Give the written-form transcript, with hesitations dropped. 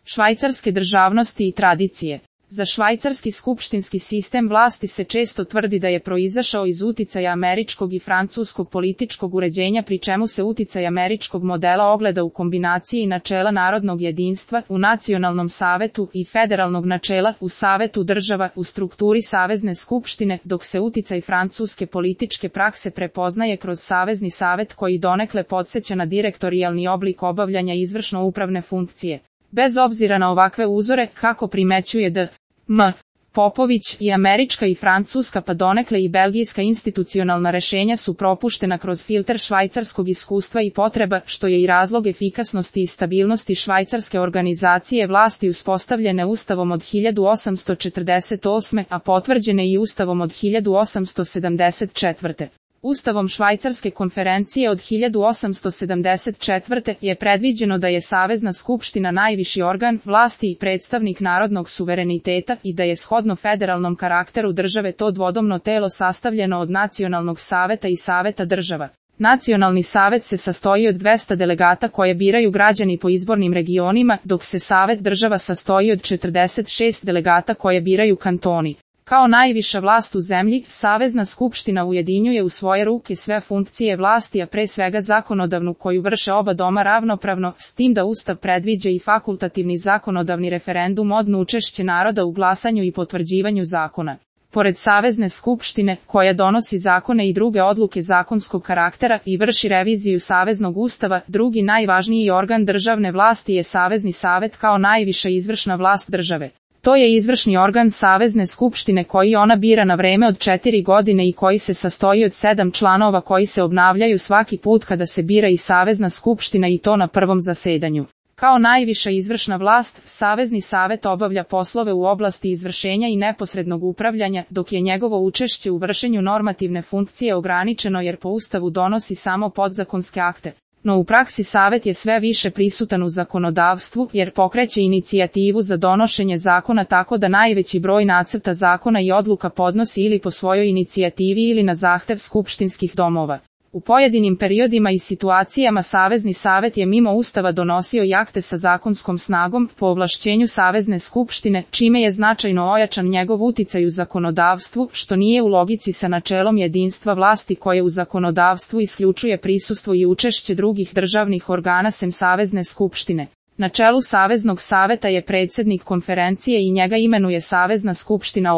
Švajcarske državnosti i tradicije. Za švajcarski skupštinski sistem vlasti se često tvrdi da je proizašao iz uticaja američkog i francuskog političkog uređenja, pri čemu se uticaj američkog modela ogleda u kombinaciji načela narodnog jedinstva u nacionalnom savetu i federalnog načela u savetu država u strukturi savezne skupštine, dok se uticaj francuske političke prakse prepoznaje kroz savezni savet koji donekle podsjeća na direktorijalni oblik obavljanja izvršno-upravne funkcije. Bez obzira na ovakve uzore, kako primećuje D.M. Popović, i američka i francuska pa donekle i belgijska institucionalna rešenja su propuštena kroz filter švajcarskog iskustva i potreba, što je i razlog efikasnosti i stabilnosti švajcarske organizacije vlasti uspostavljene Ustavom od 1848. a potvrđene i Ustavom od 1874. Ustavom Švajcarske konferencije od 1874. je predviđeno da je Savezna skupština najviši organ vlasti i predstavnik narodnog suvereniteta i da je shodno federalnom karakteru države to dvodomno telo sastavljeno od Nacionalnog saveta i Saveta država. Nacionalni savet se sastoji od 200 delegata koje biraju građani po izbornim regionima, dok se Savet država sastoji od 46 delegata koje biraju kantoni. Kao najviša vlast u zemlji, Savezna skupština ujedinjuje u svoje ruke sve funkcije vlasti, a pre svega zakonodavnu koju vrše oba doma ravnopravno, s tim da Ustav predviđa i fakultativni zakonodavni referendum odnosno učešće naroda u glasanju i potvrđivanju zakona. Pored Savezne skupštine, koja donosi zakone i druge odluke zakonskog karaktera i vrši reviziju Saveznog ustava, drugi najvažniji organ državne vlasti je Savezni savet kao najviša izvršna vlast države. To je izvršni organ Savezne skupštine koji ona bira na vreme od 4 godine i koji se sastoji od 7 članova koji se obnavljaju svaki put kada se bira i Savezna skupština i to na prvom zasedanju. Kao najviša izvršna vlast, Savezni savet obavlja poslove u oblasti izvršenja i neposrednog upravljanja, dok je njegovo učešće u vršenju normativne funkcije ograničeno jer po Ustavu donosi samo podzakonske akte. No u praksi Savet je sve više prisutan u zakonodavstvu jer pokreće inicijativu za donošenje zakona tako da najveći broj nacrta zakona i odluka podnosi ili po svojoj inicijativi ili na zahtev skupštinskih domova. U pojedinim periodima i situacijama Savezni savet je mimo Ustava donosio i akte sa zakonskom snagom po ovlašćenju Savezne skupštine, čime je značajno ojačan njegov uticaj u zakonodavstvu, što nije u logici sa načelom jedinstva vlasti koje u zakonodavstvu isključuje prisustvo i učešće drugih državnih organa sem Savezne skupštine. Na čelu Saveznog saveta je predsjednik konferencije i njega imenuje Savezna skupština